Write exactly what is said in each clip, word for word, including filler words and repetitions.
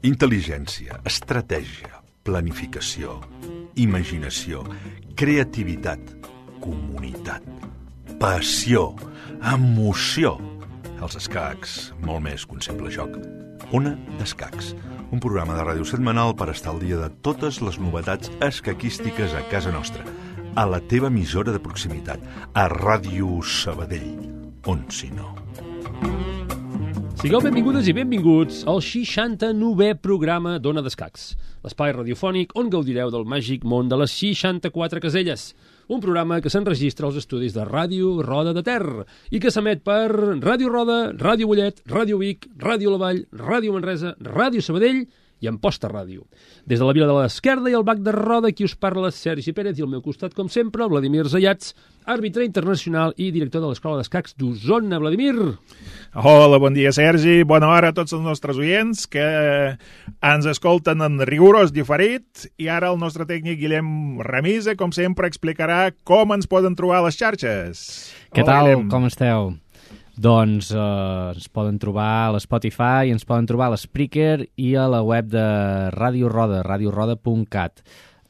Intel·ligència, estratègia, planificació, imaginació, creativitat, comunitat, passió, emoció. Els escacs, molt més que un simple joc. Ona d'Escacs, un programa de ràdio setmanal per estar al dia de totes les novetats escaquístiques a casa nostra, a la teva emissora de proximitat, a Ràdio Sabadell, on si no. Sigueu benvingudes i benvinguts al seixanta-novè programa d'Ona d'Escacs, l'espai radiofònic on gaudireu del màgic món de les seixanta-quatre caselles, un programa que s'enregistra als estudis de Ràdio Roda de Ter i que s'emet per Ràdio Roda, Ràdio Mollet, Ràdio Vic, Ràdio La Vall, Ràdio Manresa, Ràdio Sabadell i Amposta Ràdio. Des de la Vila de l'Esquerda i el Bac de Roda, qui us parla Sergi Pérez i al meu costat, com sempre, Vladimir Zayats, àrbitre internacional i director de l'Escola d'Escacs d'Osona. Vladimir! Hola, bon dia, Sergi. Bona hora a tots els nostres oients que ens escolten en rigorós diferit i ara el nostre tècnic Guillem Ramisa, com sempre, explicarà com ens poden trobar a les xarxes. Què Hola, tal? Guillem. Com esteu? Doncs eh, ens poden trobar a l'Spotify, ens poden trobar a l'Spreaker i a la web de Ràdio Roda, radio roda punt cat.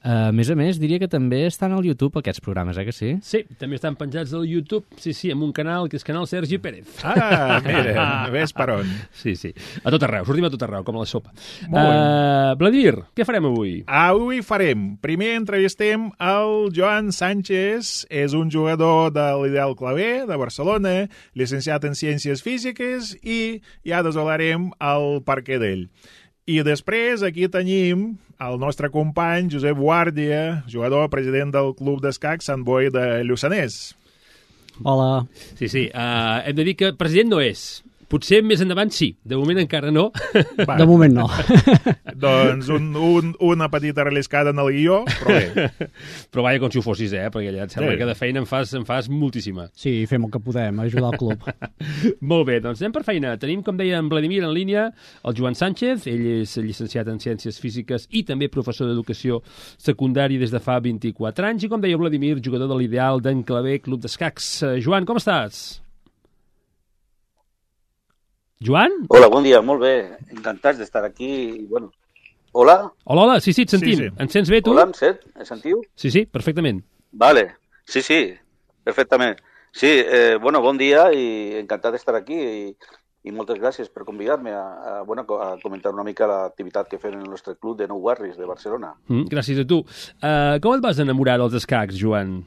Uh, a més a més, diria que també estan al YouTube aquests programes, eh que sí? Sí, també estan penjats al YouTube, sí, sí, amb un canal que és Canal Sergi Pérez. Ah, mira, ves per on. Sí, sí, a tot arreu, sortim a tot arreu, com a la sopa. Molt bé. Uh, Vladimir, què farem avui? Avui farem, primer entrevistem el Joan Sánchez, és un jugador de l'Ideal Clavé, de Barcelona, llicenciat en Ciències Físiques i ja desvelarem el perquè d'ell. I després aquí tenim el nostre company Josep Guàrdia, jugador, president del Club d'Escacs Sant Boi de Lluçanès. Hola. Sí, sí, uh, hem de dir que president no és. Potser més endavant sí, de moment encara no. Va, De moment no. doncs un, un, una petita relliscada en el guió, però bé. Però vaja, com si ho fossis, eh? Perquè ja et sembla Sí. que de feina en fas, en fas moltíssima. Sí, fem el que podem, ajudar el club. Molt bé, doncs anem per feina. Tenim, com deia en Vladimir, en línia el Joan Sánchez. Ell és llicenciat en Ciències Físiques i també professor d'Educació Secundària des de fa vint-i-quatre anys. I com deia Vladimir, jugador de l'Ideal d'en Clavé Club d'Escacs. Uh, Joan, com estàs? Joan? Hola, bon dia, molt bé. Encantats d'estar aquí. I, bueno. Hola? Hola, hola, sí, sí, et sentim. Sí, sí. Ens sents bé, tu? Hola, em sent? Em sentiu? Sí, sí, perfectament. Vale. Sí, sí, perfectament. Sí, eh, bueno, bon dia i encantat d'estar aquí i, i moltes gràcies per convidar-me a, a, bueno, a comentar una mica l'activitat que fem en el nostre club de Nou Barris de Barcelona. Mm, gràcies a tu. Uh, com et vas enamorar dels escacs, Joan?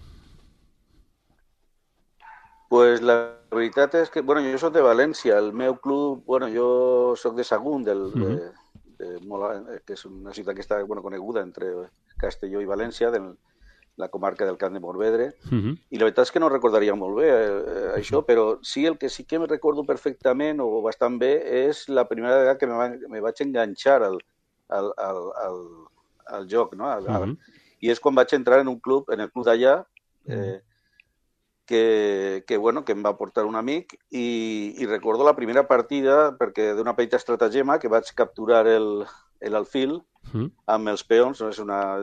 Pues la veritat és que, bueno, jo soc de València, el meu club, bueno, jo soc de Sagunt, del, de, de Mola, que és una ciutat que està, bueno, coneguda entre Castelló i València, de la comarca del Camp de Morvedre, Uh -huh. i la veritat és que no recordaria molt bé eh, això, però sí el que sí que me recordo perfectament o bastant bé és la primera vegada que me, va, me vaig enganxar al, al, al, al, al joc, no? Al, al, Uh -huh. I és quan vaig entrar en un club, en el club d'allà, eh, que, que, bueno, que em va portar un amic i, i recordo la primera partida perquè d'una petita estratagema que vaig capturar el, el alfil Uh -huh. amb els peons, no? És una,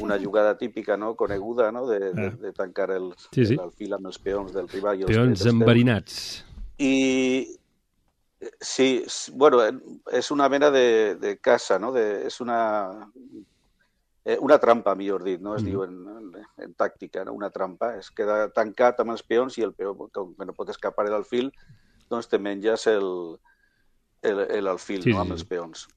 una jugada típica, no? Coneguda, no? De, de, de tancar el, Sí, sí. l'alfil amb els peons del rival. I els, Peons dels teus. enverinats. I sí, s- bueno, és una mena de, de caça, no? De, és una, eh, una trampa, millor dit, no? Es Mhm. diu en, en, en tàctica, no? Una trampa. Es queda tancat amb els peons i el peó, com que no pot escapar l'alfil, doncs te menges el, el, el alfil, Sí, no? sí, Amb sí. els peons.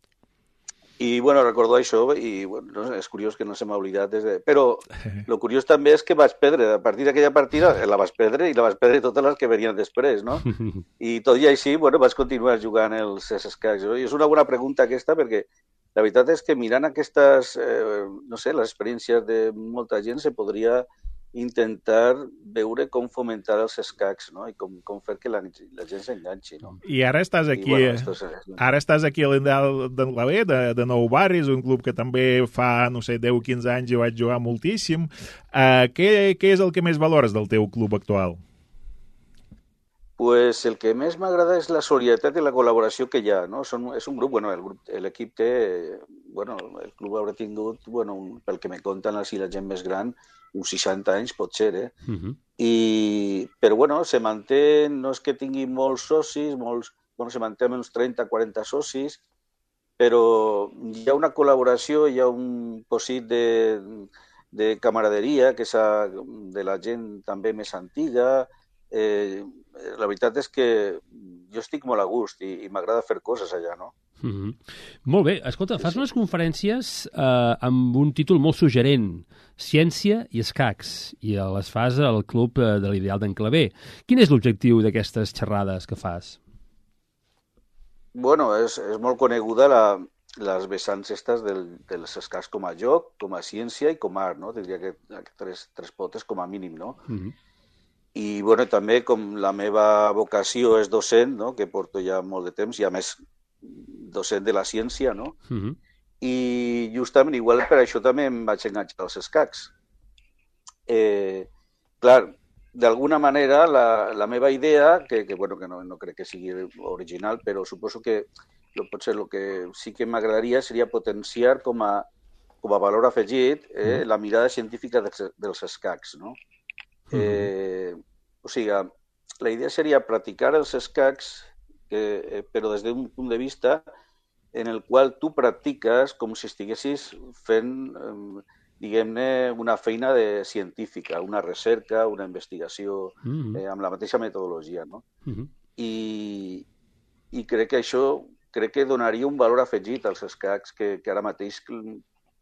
I, bueno, recordo això i, bueno, no, és curiós que no se m'ha oblidat des de... Però el curiós també és que vaig perdre, a partir d'aquella partida la vaig perdre i la vaig perdre totes les que venien després, no? I tot i així, bueno, vaig continuar jugant els escacs. I és una bona pregunta aquesta perquè la veritat és que mirant aquestes, eh, no sé, les experiències de molta gent se podria intentar veure com fomentar els escacs, no? I com, com fer que la, la gent s'enganxi, no? I ara estàs aquí, I, bueno, esto és, ara estàs aquí a l'Ideal d'en Clavé, de, de Nou Barris, un club que també fa, no sé, deu o quinze anys hi vaig jugar moltíssim. Uh, què, què és el que més valores del teu club actual? Pues el que més m'agrada és la solidaritat i la col·laboració que hi ha, no? Són, és un grup, bueno, el grup, l'equip té, bueno, el club haurà tingut, bueno, un, pel que me conten així la gent més gran, uns seixanta anys pot ser, eh? Uh -huh. I, però bueno, se manté, no és que tingui molts socis, molts, bueno, se manté amb uns trenta quaranta socis, però hi ha una col·laboració, hi ha un pòsit de, de camaraderia que és de la gent també més antiga. Eh, la veritat és que jo estic molt a gust i, i m'agrada fer coses allà, no? Mm-hmm. Molt bé. Escolta, fas unes conferències eh, amb un títol molt suggerent, Ciència i escacs, i les fas al Club de l'Ideal d'en Clavé. Quin és l'objectiu d'aquestes xerrades que fas? Bueno, és, és molt coneguda la, les vessants estes del, dels escacs com a joc, com a ciència i com a art, no? Diria que, que tres, tres potes com a mínim, no? Mm-hmm. I, bueno, també com la meva vocació és docent, no? Que porto ja molt de temps, i a més docent de la ciència, no? Mm-hmm. I justament, igual per això també em vaig enganxar als escacs. Eh, clar, d'alguna manera, la, la meva idea, que, que, bueno, que no, no crec que sigui original, però suposo que potser el que sí que m'agradaria seria potenciar com a, com a valor afegit eh, la mirada científica dels, dels escacs, no? Eh, o sigui, la idea seria practicar els escacs, que, eh, però des d'un punt de vista en el qual tu practiques com si estiguessis fent, eh, diguem-ne, una feina de científica, una recerca, una investigació, mm-hmm. eh, amb la mateixa metodologia, no? Mm-hmm. I, I crec que això crec que donaria un valor afegit als escacs que, que ara mateix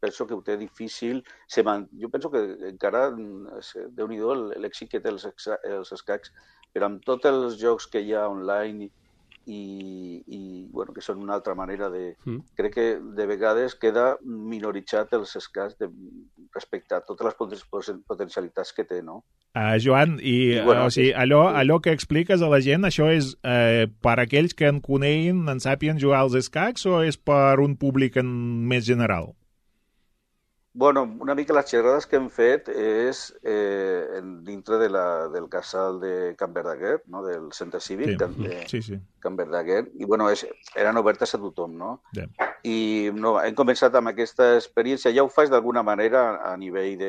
penso que ho té difícil. Se man... Jo penso que encara, déu-n'hi-do, l'èxit que té els, els escacs, però amb tots els jocs que hi ha online i, i bueno, que són una altra manera de... Mm. Crec que de vegades queda minoritzat els escacs de, respecte a totes les potencialitats que té, no? Uh, Joan, i, I bueno, o sigui, allò, allò que expliques a la gent, això és eh, per aquells que en coneguin, en sàpien jugar als escacs, o és per un públic en més general? Bueno, una mica les xerrades que hem fet és eh, dintre de la, del casal de Can Verdaguer, no? Del centre cívic sí. de sí, sí. Can Verdaguer, i bueno, és, eren obertes a tothom, no? Yeah. I no, hem començat amb aquesta experiència, ja ho faig d'alguna manera a nivell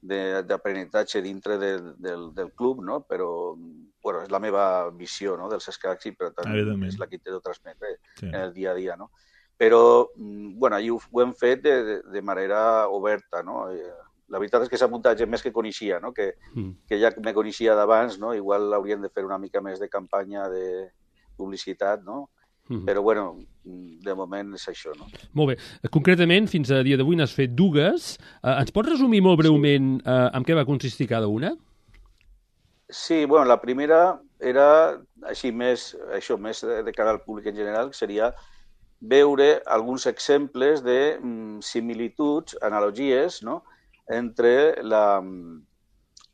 d'aprenentatge de, dintre de, del, del club, no? Però bueno, és la meva visió, no? Dels escacs i per tant és la que intento transmetre sí. en el dia a dia, no? Però, bueno, allà ho, ho hem fet de, de, de manera oberta, no? La veritat és que s'ha muntat gent més que coneixia, no? Que, mm. que ja me coneixia d'abans, no? Igual hauríem de fer una mica més de campanya de publicitat, no? Mm. Però, bueno, de moment és això, no? Molt bé. Concretament, fins a dia d'avui n'has fet dues. Uh, ens pots resumir molt breument sí. uh, en què va consistir cada una? Sí, bueno, la primera era així més, això, més de, de cara al públic en general, que seria veure alguns exemples de mm, similituds, analogies, no? Entre la,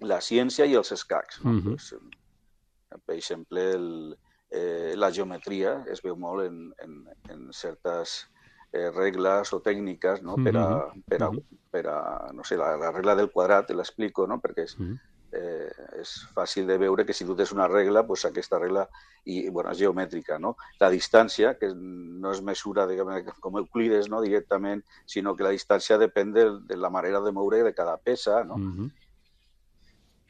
la ciència i els escacs. No? Mm-hmm. Pues, per exemple, el, eh, la geometria es veu molt en, en, en certes eh, regles o tècniques, no? Per a, per a, per a no sé, la, la regla del quadrat, l'explico, no? Perquè és, mm-hmm. Eh, és fàcil de veure que si tu tens una regla, doncs aquesta regla i, bueno, és geomètrica, no? La distància, que no es mesura diguem, com Euclides, no? Directament, sinó que la distància depèn de, de la manera de moure de cada peça, no? Mm-hmm.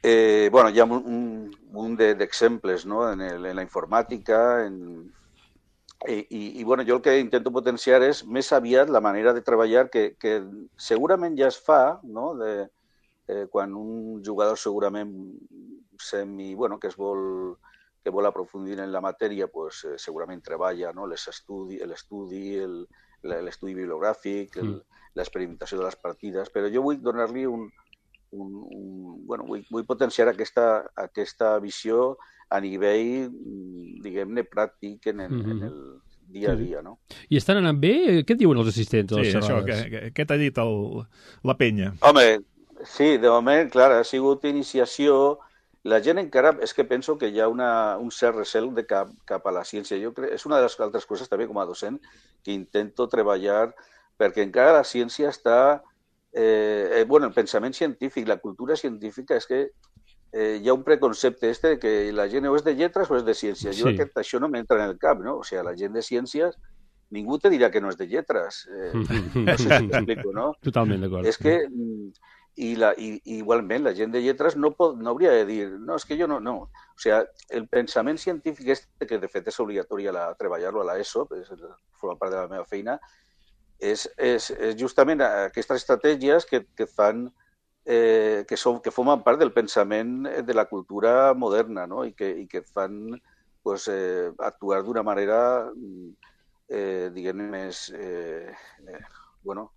eh, bueno, hi ha un, un, un d'exemples, no? En, el, en la informàtica, en... I, i, i bueno, jo el que intento potenciar és més aviat la manera de treballar que, que segurament ja es fa, no? De, Eh, quan un jugador segurament semi, bueno, que es vol, que vol aprofundir en la matèria, pues, eh, segurament treballa, no? l'estudi, l'estudi, l'estudi bibliogràfic, el, l'experimentació de les partides, però jo vull donar-li un, un, un bueno, vull, vull potenciar aquesta, aquesta visió a nivell, diguem-ne, pràctic en el, mm-hmm. en el dia a dia, no? I estan anant bé? Què diuen els assistents? Sí, això, què, què t'ha dit el, la penya? Home, sí, de moment, clar, ha sigut iniciació. La gent encara, és que penso que hi ha una, un cert recel de cap, cap a la ciència. Jo crec, és una de les altres coses també com a docent que intento treballar perquè encara la ciència està... Eh, eh, bueno, el pensament científic, la cultura científica és que eh, hi ha un preconcepte este de que la gent o és de lletres o és de ciències. Jo sí. crec que això no m'entra en el cap, no? O sigui, la gent de ciències ningú te dirà que no és de lletres. Eh, no sé si t'explico, no? Totalment d'acord. És que... i, la, i, i igualment la gent de lletres no, pot, no hauria de dir no, és que jo no, no. O sigui, el pensament científic este, que de fet és obligatori a la, treballar-lo a l'ESO, és, forma part de la meva feina, és, és, és justament aquestes estratègies que, que fan eh, que, són, que formen part del pensament de la cultura moderna, no? I, que, i que fan pues, eh, actuar d'una manera eh, diguem-ne més eh, eh, bueno,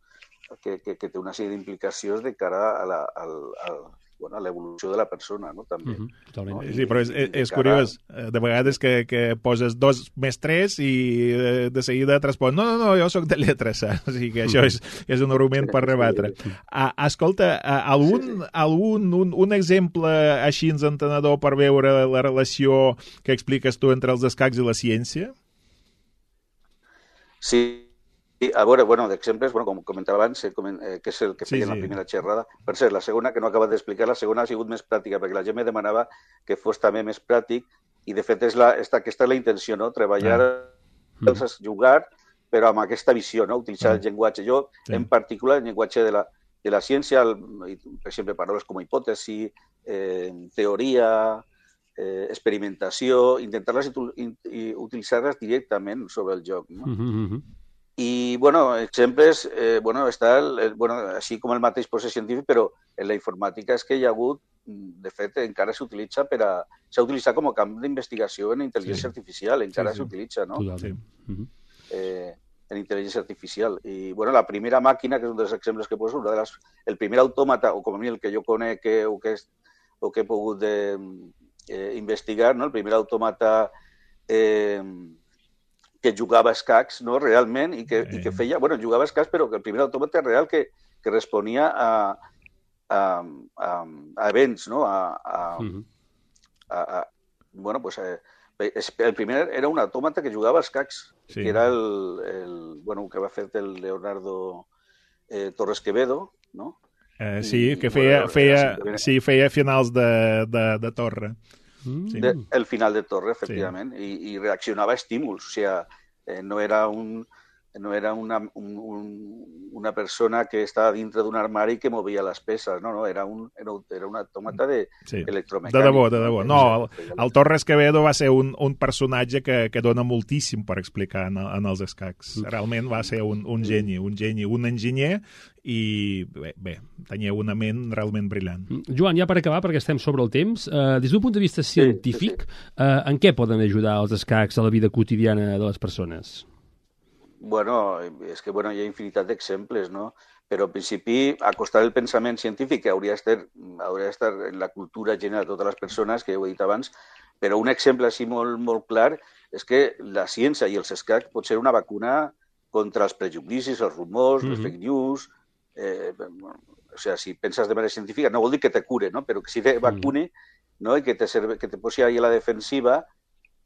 Que, que, que té una sèrie d'implicacions de cara a la, al, al, bueno, a l'evolució de la persona, no? També. Uh-huh, totalment. No? I, sí, però és, és, és cara... curiós. De vegades que, que poses dos més tres i de, de seguida et respon no, no, no, jo sóc de lletres, saps? O sigui que això és, és un argument per rebatre. Ah, escolta, algun, sí, sí. algun un, un exemple així entenedor per veure la relació que expliques tu entre els escacs i la ciència? Sí. A veure, bueno, d'exemples, bueno, com comentava abans, eh, que és el que feia sí, sí. la primera xerrada. Per cert, la segona, que no he acabat d'explicar, la segona ha sigut més pràctica, perquè la gent me demanava que fos també més pràctic, i de fet és la, esta, aquesta és la intenció, no? Treballar, ah. mm. jugar, però amb aquesta visió, no? Utilitzar ah. el llenguatge. Jo, sí. en particular, el llenguatge de la, de la ciència, el, per exemple, paraules com hipòtesi, eh, teoria, eh, experimentació, intentar-les utilitzar-les directament sobre el joc, no? Mm-hmm. I, bueno, exemples, eh, bueno, està el, el, bueno, així com el mateix procés científic, però en la informàtica és que hi ha hagut, de fet, encara s'utilitza per a... S'ha utilitzat com a camp d'investigació en intel·ligència sí. artificial, encara sí, sí. s'utilitza, no? Sí. Eh, en intel·ligència artificial. I, bueno, la primera màquina, que és un dels exemples que poso, una de les, el primer autòmata, o com a mi el que jo conec que, o, que és, o que he pogut de, eh, investigar, no? El primer autòmata... Eh, que jugava a escacs, no, realment, i que, eh. i que feia... Bueno, jugava a escacs, però que el primer autòmata real que, que responia a, a, a, a events, no? A, a, uh-huh. a, a, bueno, pues, eh, el primer era un autòmata que jugava a escacs, sí. que era el, el... Bueno, que va fer el Leonardo eh, Torres Quevedo, no? Eh, sí, I, que feia, bueno, feia, simplement... sí, feia finals de, de, de torre. Sí. De, el final de torre, efectivament, sí. I, i reaccionava a estímuls, o sigui, eh, no era, un, no era una, un, un, una persona que estava dintre d'un armari que movia les peces, no, no, era un, era, era un autòmata de sí. electromecànic. De debò, de debò. No, el, el Torres Quevedo va ser un, un personatge que, que dona moltíssim per explicar en, en els escacs. Realment va ser un, un geni, un geni, un enginyer, i bé, bé, tenia una ment realment brillant. Joan, ja per acabar, perquè estem sobre el temps, eh, des d'un punt de vista científic, sí, sí, sí. Eh, en què poden ajudar els escacs a la vida quotidiana de les persones? Bueno, és que bueno, hi ha infinitat d'exemples, no? Però en principi acostar el pensament científic, que hauria d'estar, hauria d'estar en la cultura general de totes les persones, que ho he dit abans, però un exemple així molt, molt clar és que la ciència i els escacs pot ser una vacuna contra els prejudicis, els rumors, mm-hmm. les fake news. Eh, bueno, o sea, si penses de manera científica, no vol dir que te cure, no? Però que sí te vacune, no? I que te, serve, que te posi ahí a la defensiva.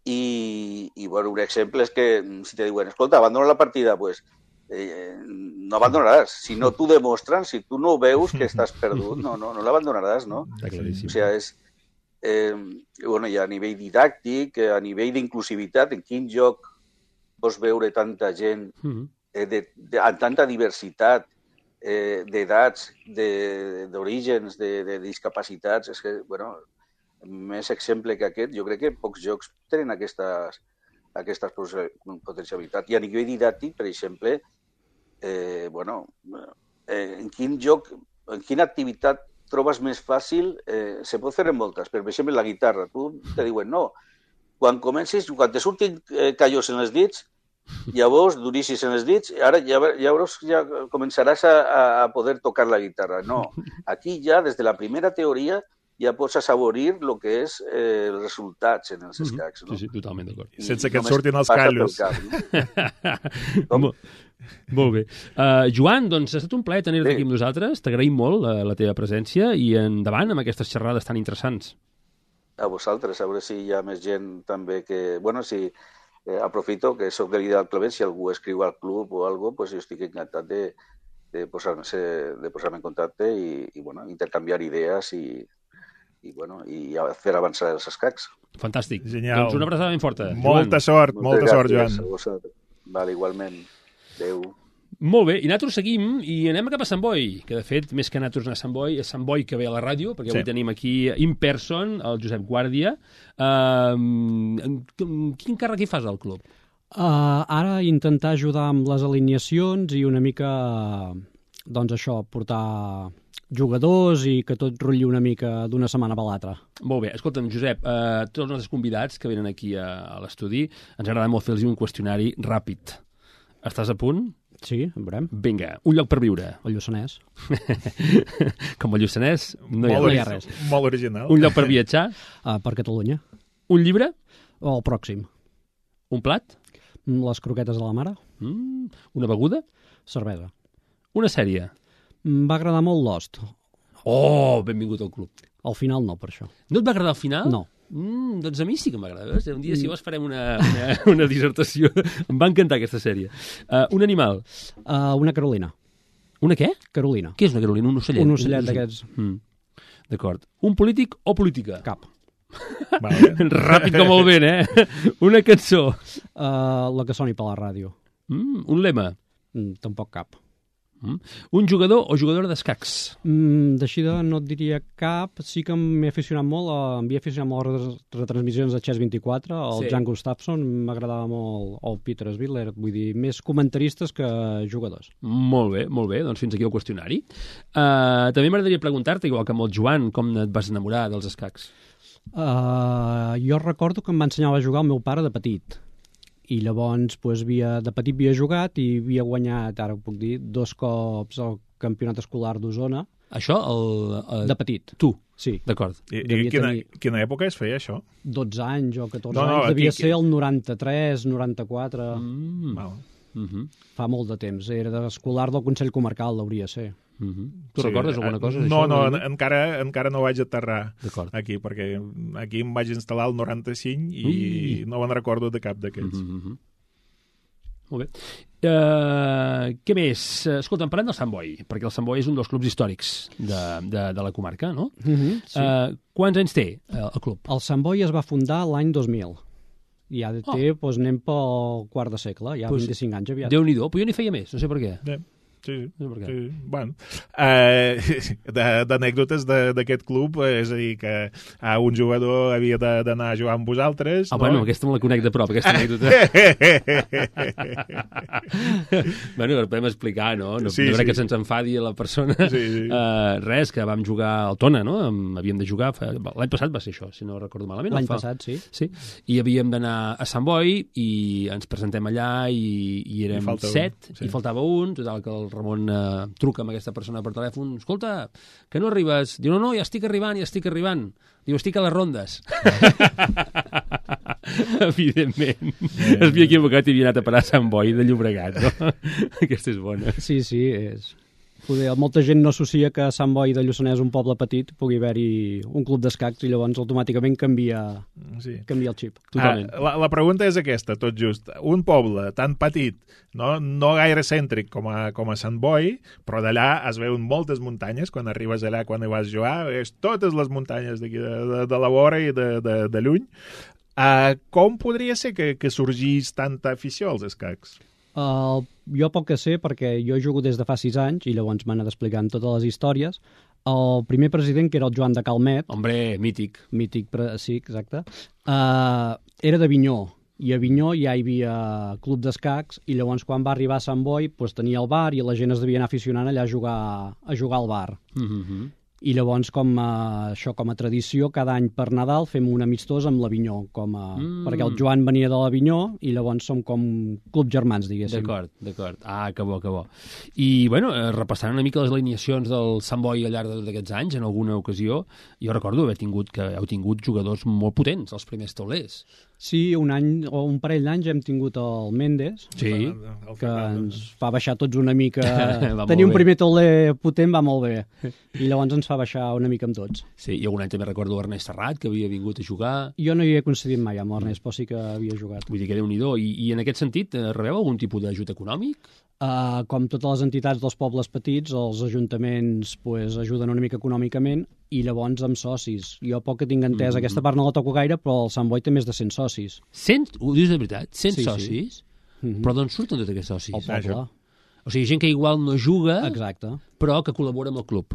I, i bueno, un exemple és que si te diuen, escolta, abandona la partida, pues eh, no abandonaràs. Si no t'ho demostren, si tu no veus que estàs perdut, no, no, no l'abandonaràs, no? Està claríssim. O sea, és, eh, bueno, i a nivell didàctic, a nivell d'inclusivitat, en quin lloc pots veure tanta gent, eh, de, de, amb tanta diversitat, Eh, d'edats, d'orígens, de, de, de discapacitats, és que, bueno, més exemple que aquest, jo crec que pocs jocs tenen aquestes, aquestes potencialitats. I a nivell didàctic, per exemple, eh, bueno, eh, en quin joc, en quina activitat trobes més fàcil, eh, se pot fer en moltes, per exemple, la guitarra. Tu te diuen, no, quan comencis, quan te surtin eh, callos en els dits, llavors duríssis en els dits, ara ja, llavors ja començaràs a, a poder tocar la guitarra. No, aquí ja, des de la primera teoria, ja pots assaborir el que és eh, els resultats en els escacs. No? Sí, sí, totalment d'acord. Sense que et surtin els callos. No? Molt, molt bé. Uh, Joan, doncs ha estat un plaer tenir-te sí. aquí amb nosaltres. T'agraïm molt la, la teva presència i endavant amb aquestes xerrades tan interessants. A vosaltres, a veure si hi ha més gent també que... Bueno, si... Eh, aprofito que soc de l'Ideal Clavé, si algú escriu al club o alguna cosa, pues jo estic encantat de, de posar-me de posar en contacte i, i bueno, intercanviar idees i, i, bueno, i fer avançar els escacs. Fantàstic. Genial. Doncs una abraçada ben forta. Molta Joan. sort, molta sort, Joan. Vale, igualment. Adéu. Molt bé, i nosaltres seguim i anem cap a Sant Boi, que de fet, més que nosaltres anar a Sant Boi, és Sant Boi que ve a la ràdio, perquè Sí. avui tenim aquí in person el Josep Guàrdia. Uh, quin càrrec hi fas al club? Uh, ara intentar ajudar amb les alineacions i una mica, doncs això, portar jugadors i que tot rotlli una mica d'una setmana per l'altra. Molt bé, escolta'm, Josep, uh, tots els nostres convidats que venen aquí a, a l'estudi, ens agrada molt fer-los un qüestionari ràpid. Estàs a punt? Sí, en veurem. Vinga, un lloc per viure. El Lluçanès. Com el Lluçanès, no hi ha, molt, no hi ha res. res. Molt original. Un lloc per viatjar, Uh, per Catalunya. un llibre, O el pròxim. un plat, Les croquetes de la mare. mm, una beguda, Cervesa. una sèrie. Em va agradar molt Lost. Oh, benvingut al club. Al final no, per això. No et va agradar al final? No. Mm, doncs a mi sí que m'agrada. veus? Un dia, si vols, farem una, una, una dissertació. Em va encantar aquesta sèrie. Uh, un animal. Uh, una Carolina. Una què? Carolina. Què és una Carolina? Un ocellet? Un ocellet d'aquests. Mm. D'acord. Un polític o política? Cap. Vale. Ràpid com el vent, eh? Una cançó. Uh, la que soni per la ràdio. Mm, un lema. Mm, tampoc cap. Mm. Un jugador o jugadora d'escacs? Mm, D'eixida no et diria cap. Sí que m'he aficionat molt, a, m'he aficionat molt a les retransmissions de Chess vint-i-quatre, el Sí. Jan Gustafsson, m'agradava molt el Peter Sviller, vull dir, més comentaristes que jugadors. Molt bé, molt bé. Doncs fins aquí el qüestionari. Uh, també m'agradaria preguntar-te, igual que amb el Joan, com et vas enamorar dels escacs? Uh, jo recordo que em va ensenyar a jugar el meu pare de petit. I llavors, pues, havia, de petit havia jugat i havia guanyat, ara ho puc dir, dos cops el campionat escolar d'Osona, Això, el, el... de petit. Tu, Sí, d'acord. I, i Devia quina, tenir- quina època es feia això? dotze anys o catorze No, no, anys, devia aquí- ser el noranta-tres, noranta-quatre, Mm. Val. Mm -hmm. fa molt de temps. Era d'escolar del Consell Comarcal, hauria ser. Mm -hmm. Tu Sí, recordes alguna eh, cosa No, d'això? no, en- encara, encara no vaig aterrar D'acord. aquí, perquè aquí em vaig instal·lar el noranta-cinc i Ui. no me'n recordo de cap d'aquests. Mm -hmm. Molt bé. Uh, què més? Uh, escolta, parlem del Sant Boi, perquè el Sant Boi és un dels clubs històrics de, de, de la comarca, no? Mm -hmm, sí. Uh, quants anys té uh, el club? El Sant Boi es va fundar l'any dos mil. I ja té, oh. doncs anem pel quart de segle, ja Pues, vint-i-cinc anys aviat. Déu-n'hi-do, però jo n'hi feia més, no sé per què. Eh, Sí, No sé per què. sí, bueno. Uh, d'anècdotes de- d'aquest club, eh, és a dir, que uh, un jugador havia de- d'anar a jugar amb vosaltres. Ah, no? bueno, aquesta me la conec de prop, aquesta anècdota. Bueno, ho podem explicar, no? No, Sí, no crec sí. que se'ns enfadi la persona. Sí, sí. Uh, res, que vam jugar al Tona, no? Em- Havíem de jugar... fa- L'any passat va ser això, si no recordo malament. L'any o fa- passat, sí. Sí, i havíem d'anar a Sant Boi i ens presentem allà i, i érem I falta un, set, sí. i faltava un, total que el Ramon eh, truca amb aquesta persona per telèfon, escolta, que no arribes? Diu, no, no, ja estic arribant, ja estic arribant. Diu, estic a les rondes. Evidentment. Es havia equivocat i havia anat a parar a Sant Boi de Llobregat, no? Aquesta és bona. Sí, sí, és... Poder, molta gent no associa que a Sant Boi de Lluçanès, un poble petit, pugui haver-hi un club d'escacs i llavors automàticament canvia, Sí. canvia el xip. Totalment. Ah, la, la pregunta és aquesta, tot just. Un poble tan petit, no, no gaire cèntric com a, com a Sant Boi, però d'allà es veuen moltes muntanyes, quan arribes allà, quan hi vas jugar, és totes les muntanyes d'aquí de, de, de la vora i de, de, de lluny. Uh, com podria ser que, que sorgís tanta afició als escacs? Uh, jo poc que sé, perquè jo jugo des de fa sis anys i llavors m'han anat explicant totes les històries. El primer president, que era el Joan de Calmet, Hombre, mític. mític, pre... sí, exacte, uh, era d'Avinyó, i a Avinyó ja hi havia club d'escacs, i llavors quan va arribar a Sant Boi pues, tenia el bar i la gent es devia anar aficionant allà a jugar, a jugar al bar. Mm -hmm. I llavors, com a, això com a tradició, cada any per Nadal fem un amistós amb l'Avinyó, com a, Mm. perquè el Joan venia de l'Avinyó i llavors som com club germans, diguéssim. D'acord, d'acord. Ah, que bo, que bo. I, bueno, eh, repassant una mica les alineacions del Sant Boi al llarg de tots aquests anys, en alguna ocasió, jo recordo haver tingut que heu tingut jugadors molt potents, els primers taulers. Sí, un any o un parell d'anys hem tingut el Méndez, Sí. El que Fernando. ens fa baixar tots una mica... Va molt Tenir un bé. primer tauler potent va molt bé. I llavors ens fa baixar una mica amb tots. Sí, i algun any també recordo Ernest Serrat, que havia vingut a jugar. Jo no hi he coincidit mai amb l'Ernest, però sí que havia jugat. Vull dir que Déu-n'hi-do. I, I en aquest sentit, eh, rebeu algun tipus d'ajut econòmic? Uh, com totes les entitats dels pobles petits, els ajuntaments pues, ajuden una mica econòmicament i llavors amb socis. Jo poc que tinc entès, Mm. aquesta part no la toco gaire, però el Sant Boi té més de cent socis. cent? Ho dius de veritat? cent Sí, sí. socis? Mhm. Però d'on surten tots aquests socis? El poble. això. O sigui, gent que igual no juga, Exacte. però que col·labora amb el club.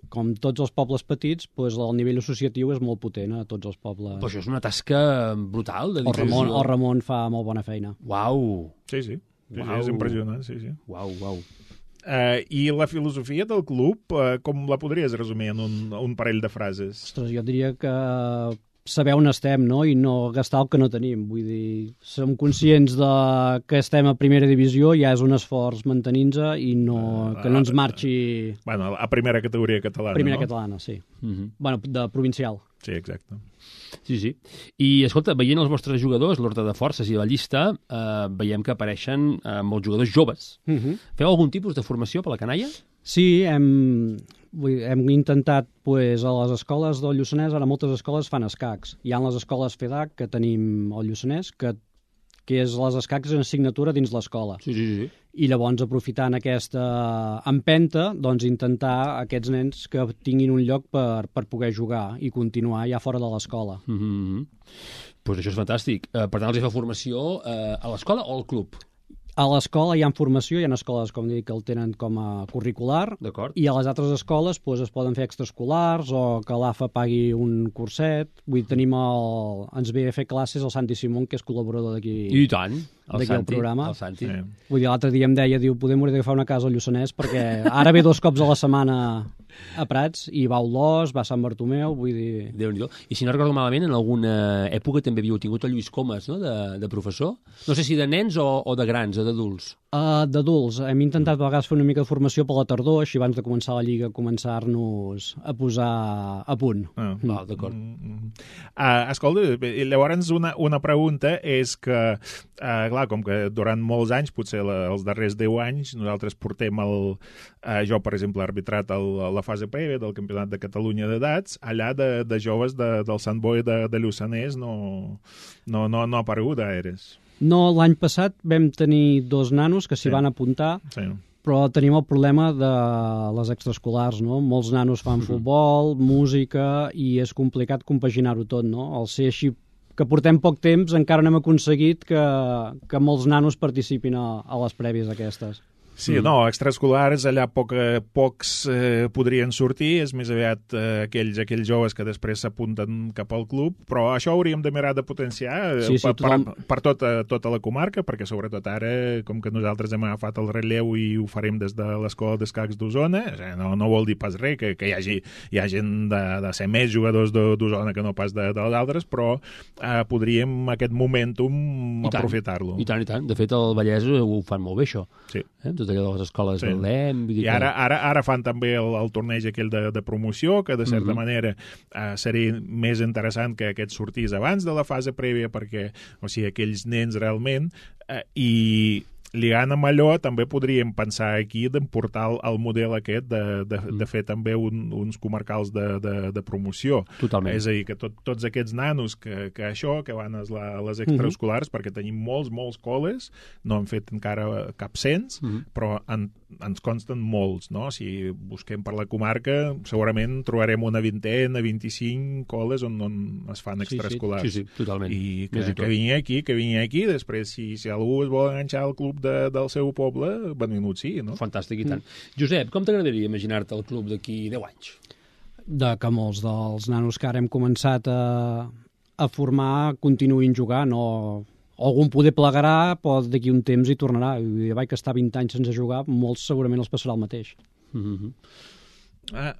Com tots els pobles petits, doncs el nivell associatiu és molt potent a tots els pobles. Però això és una tasca brutal de El difusió. Ramon, el Ramon fa molt bona feina. Uau, Sí, sí. sí, Uau. sí és impressionant, sí, sí. uau, uau. Uh, I la filosofia del club, uh, com la podries resumir en un, un parell de frases? Ostres, jo diria que saber on estem, no?, i no gastar el que no tenim. Vull dir, som conscients de que estem a primera divisió, ja és un esforç mantenir-nos i no, que no ens marxi... Bueno, a primera categoria catalana, Primera no? catalana, sí. Mm -hmm. Bueno, de provincial. Sí, exacte. Sí, sí. I, escolta, veient els vostres jugadors, l'ordre de forces i la llista, eh, veiem que apareixen eh, molts jugadors joves. Uh -huh. Feu algun tipus de formació per la canalla? Sí, hem, vull dir, hem intentat, pues, a les escoles del Lluçanès, ara moltes escoles fan escacs. Hi ha les escoles FEDAC que tenim al Lluçanès, que, que és les escacs en assignatura dins l'escola. Sí, sí, sí. I llavors, aprofitant aquesta empenta, doncs intentar aquests nens que tinguin un lloc per, per poder jugar i continuar ja fora de l'escola. Mm -hmm. Pues això és fantàstic. Eh, per tant, els hi fa formació eh, a l'escola o al club? A l'escola hi ha formació, hi ha escoles, com dic, que el tenen com a curricular, D'acord. i a les altres escoles doncs, es poden fer extraescolars o que l'A F A pagui un curset. Vull dir, tenim el... ens ve a fer classes el Santi Simón, que és col·laborador d'aquí. I tant. El D'aquí al Santi, programa. El Santi. Sí. Vull dir, l'altre dia em deia, diu, podem haver de fer una casa al Lluçanès, perquè ara ve dos cops a la setmana a Prats, i va a Olòs, va a Sant Bartomeu, vull dir... Déu-n'hi-do. I si no recordo malament, en alguna època també havíeu tingut el Lluís Comas, no?, de, de professor. No sé si de nens o, o de grans, o d'adults. Uh, D'adults. Hem intentat a vegades fer una mica de formació per la tardor, així abans de començar la Lliga, començar-nos a posar a punt. Ah. Val, d'acord. Mm -hmm. uh, escolta, llavors una, una pregunta és que, uh, clar, com que durant molts anys, potser la, els darrers deu anys, nosaltres portem el... Uh, jo, per exemple, he arbitrat el, la fase prèvia del Campionat de Catalunya d'edats, allà de, de joves de, del Sant Boi de, de Lluçanès no, no, no, no ha aparegut gaires. No, l'any passat vam tenir dos nanos que s'hi Sí. van apuntar, Sí. però tenim el problema de les extraescolars, no? Molts nanos fan futbol, música, i és complicat compaginar-ho tot, no? Al ser així que portem poc temps, encara no hem aconseguit que, que molts nanos participin a, a les prèvies aquestes. Sí, no, extraescolars allà poc, pocs eh, podrien sortir, és més aviat eh, aquells, aquells joves que després s'apunten cap al club, però això hauríem de mirar de potenciar eh, Sí, sí, per, tothom... per, per tota, tota la comarca, perquè sobretot ara, com que nosaltres hem agafat el relleu i ho farem des de l'Escola d'Escacs d'Osona, no, no vol dir pas res que, que hi hagi, hi ha gent de, de ser més jugadors d'Osona que no pas de, de les altres, però eh, podríem aquest momentum aprofitar-lo. I tant, i tant. De fet, el Vallès ho fan molt bé, això. Sí. Eh? Tot allò de les escoles Sí. del L E M... Vull dir I ara, ara, ara fan també el, el torneig aquell de, de promoció, que de certa Mhm. manera eh, seria més interessant que aquest sortís abans de la fase prèvia, perquè, o sigui, aquells nens realment, eh, i lligant amb allò, també podríem pensar aquí d'emportar el, el model aquest de, de, de fer també un, uns comarcals de, de, de promoció. Totalment. És a dir, que tot, tots aquests nanos que, que això, que van a les, a les extraescolars, perquè tenim molts, molts col·les, no han fet encara cap cens, Mhm. però en, ens consten molts, no? Si busquem per la comarca, segurament trobarem una vintena, vint-i-cinc col·les on, on es fan Sí, sí. extraescolars. Sí, sí, totalment. I que, Més i tot. que vingui aquí, que vingui aquí, després, si, si algú es vol enganxar al club de, del seu poble, benvingut sí, no? Fantàstic, i tant. Josep, com t'agradaria imaginar-te el club d'aquí deu anys? De que molts dels nanos que ara hem començat a, a formar continuïn jugant, o algun poder plegarà, però d'aquí un temps hi tornarà. Vull dir, vaig estar vint anys sense jugar, molts segurament els passarà el mateix. Mm -hmm. Ah,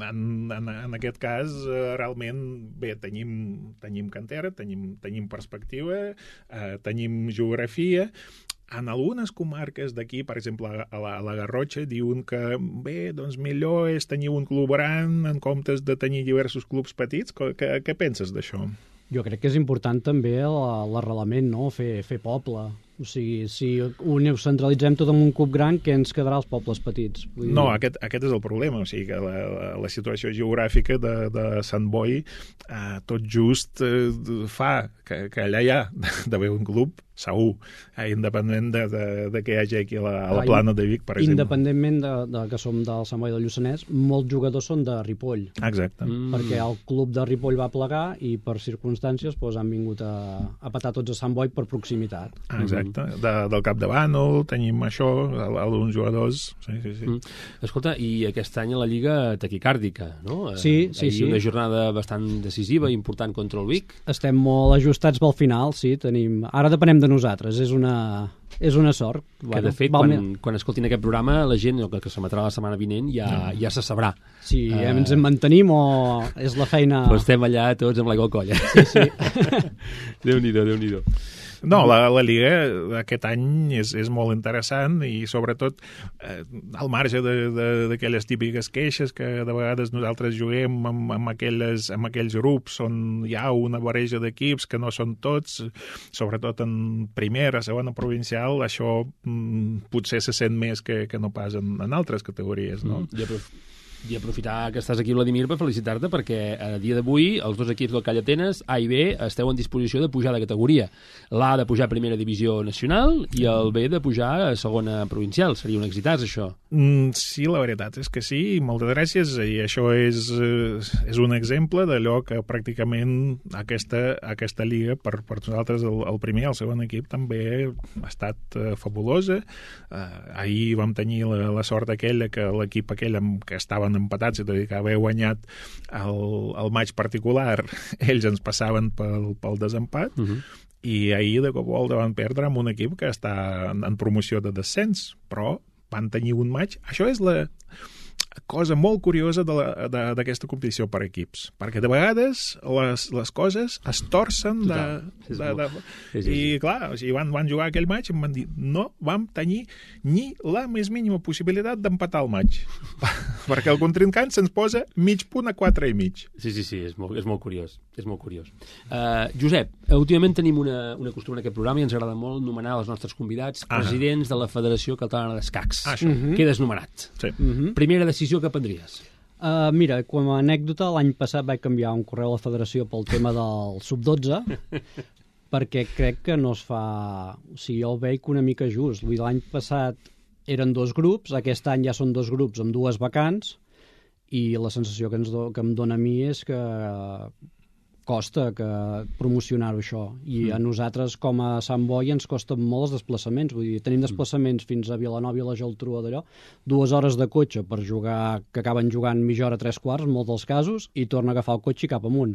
en, en, en aquest cas, eh, realment, bé, tenim, tenim cantera, tenim, tenim perspectiva, eh, tenim geografia. En algunes comarques d'aquí, per exemple, a la, a la Garrotxa, diuen que, bé, doncs millor és tenir un club gran en comptes de tenir diversos clubs petits. Què, què penses d'això? Jo crec que és important també la- l'arrelament, no? Fer, fer poble. O sigui, si ho centralitzem tot en un club gran, què ens quedarà als pobles petits? Vull dir... No, aquest, aquest és el problema, o sigui que la, la, la situació geogràfica de, de Sant Boi eh, tot just eh, fa que, que allà hi ha d'haver un club segur, eh, independent de, de, de que hi hagi aquí a la, a la plana de Vic, per exemple. Independentment de, de que som del Sant Boi del Lluçanès, molts jugadors són de Ripoll, Exacte. Mm. perquè el club de Ripoll va plegar i per circumstàncies doncs, han vingut a, a petar tots a Sant Boi per proximitat. Exacte. Correcte. Mm. De, del Capdavànol tenim això, alguns jugadors... Sí, sí, sí. Mm. Escolta, i aquest any a la Lliga taquicàrdica, no? Sí, sí, Ahir sí. Una jornada bastant decisiva i important contra el Vic. Estem molt ajustats pel final, sí. Tenim... Ara depenem de nosaltres, és una... És una sort. Que, bueno, de fet, quan, quan escoltin aquest programa, la gent, el que s'emetrà la setmana vinent, ja, no. ja se sabrà. Si uh, ens en mantenim o és la feina... Però estem allà tots amb l'aigua al coll. Sí, sí. Déu-n'hi-do, Déu-n'hi-do. No, la, la Lliga aquest any és, és molt interessant i sobretot eh, al marge d'aquelles típiques queixes que de vegades nosaltres juguem amb, amb, aquelles, amb aquells grups on hi ha una barreja d'equips que no són tots, sobretot en primera, segona provincial, això mm, potser se sent més que, que no pas en, en altres categories, no? Mm, ja, però... I aprofitar que estàs aquí, Vladimir, per felicitar-te, perquè a dia d'avui els dos equips del Call Atenes, A i B, esteu en disposició de pujar de categoria. L'A de pujar a primera divisió nacional i el B de pujar a segona provincial. Seria un exitàs, això. Mm, sí, la veritat és que sí, moltes gràcies, i això és, és un exemple d'allò que pràcticament aquesta, aquesta lliga, per, per nosaltres, el, el primer i el segon equip, també ha estat uh, fabulosa. Uh, ahir vam tenir la, la sort aquella que l'equip aquell amb, que estaven empatats, és a dir, que haver guanyat el, el maig particular, ells ens passaven pel, pel desempat, uh-huh. i ahir de cop volta van perdre amb un equip que està en, en promoció de descens, però van tenir un maig. Això és la cosa molt curiosa d'aquesta competició per equips, perquè de vegades les, les coses es torcen de, de, de, de, sí, sí, sí. I clar, o sigui, van, van jugar aquell maig i em van dir, no vam tenir ni la més mínima possibilitat d'empatar el maig perquè el contrincant se'ns posa mig punt a quatre i mig. Sí, sí, sí, és molt, és molt curiós, és molt curiós. Uh, Josep, últimament tenim una, una costum en aquest programa i ens agrada molt nomenar els nostres convidats ah. presidents de la Federació Catalana d'Escacs. Ah, uh-huh. Quedes nomenat. Sí. Uh-huh. Primera decisió que prendries? Uh, mira, com a anècdota, l'any passat vaig canviar un correu a la federació pel tema del sub dotze perquè crec que no es fa... O sigui, jo el veig una mica just. Vull dir, l'any passat eren dos grups, aquest any ja són dos grups amb dues vacants i la sensació que, ens do, que em dona a mi és que costa que promocionar-ho això i mm. a nosaltres com a Sant Boi ens costen molt els desplaçaments, vull dir, tenim desplaçaments fins a Vilanova i la Geltrú d'allò, dues hores de cotxe per jugar, que acaben jugant mitja hora, tres quarts en molts dels casos, i torna a agafar el cotxe i cap amunt.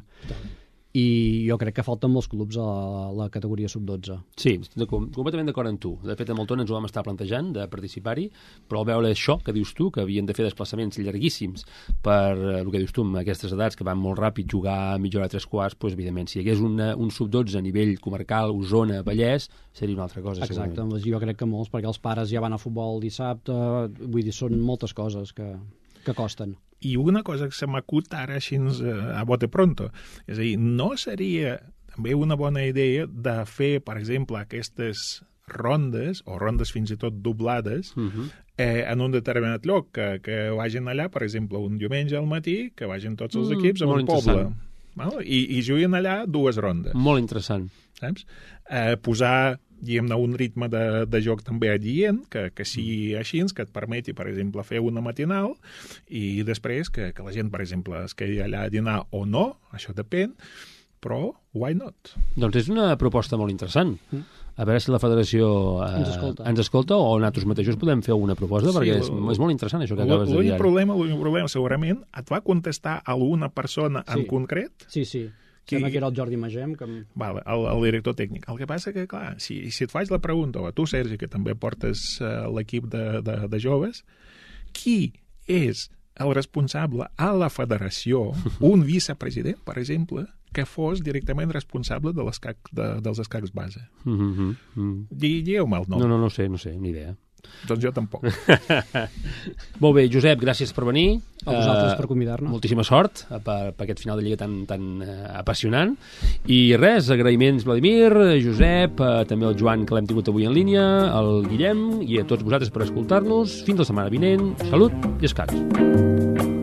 I jo crec que falten molts clubs a la, la categoria sub dotze. Sí, estic completament d'acord amb tu. De fet, amb el Tona ens ho vam estar plantejant de participar-hi, però al veure això que dius tu, que havien de fer desplaçaments llarguíssims per el que dius tu, amb aquestes edats que van molt ràpid, jugar a mitja hora, tres quarts, doncs, evidentment, si hi hagués una, un sub dotze a nivell comarcal, Osona, Vallès, seria una altra cosa. Exacte, segurament. Jo crec que molts, perquè els pares ja van a futbol dissabte, vull dir, són moltes coses que, que costen. I una cosa que se m'acut ara així a bote pronto, és a dir, no seria també una bona idea de fer, per exemple, aquestes rondes, o rondes fins i tot doblades, uh-huh. eh, en un determinat lloc, que, que vagin allà, per exemple, un diumenge al matí, que vagin tots els equips mm, a un poble. Val? I, I juguin allà dues rondes. Molt interessant. Saps? Eh, posar diguem-ne, un ritme de, de joc també adient, que, que sigui així, que et permeti, per exemple, fer una matinal i després que, que la gent, per exemple, es quedi allà a dinar o no, això depèn, però why not? Doncs és una proposta molt interessant. Mm. A veure si la federació eh, ens, escolta. ens escolta o nosaltres mateixos podem fer una proposta, sí, perquè és, és molt interessant això que acabes de dir. L'únic problema, l'únic problema, segurament, et va contestar alguna persona sí. en concret? Sí, sí. Sembla que era el Jordi Magem. Que... Vale, el, el director tècnic. El que passa que, clar, si, si et faig la pregunta, o a tu, Sergi, que també portes uh, l'equip de, de, de joves, qui és el responsable a la federació, un vicepresident, per exemple, que fos directament responsable de l'escac, de, dels escacs base? Mm-hmm. Mm. Digueu-me el nom. No, no, no sé, no sé, ni idea. Doncs jo tampoc. Molt bé, Josep, gràcies per venir. A vosaltres uh, per convidar-nos. Moltíssima sort per, per aquest final de Lliga tan, tan uh, apassionant. I res, agraïments Vladimir, Josep, uh, també el Joan, que l'hem tingut avui en línia, el Guillem, i a tots vosaltres per escoltar-nos. Fins la setmana vinent. Salut i escacs.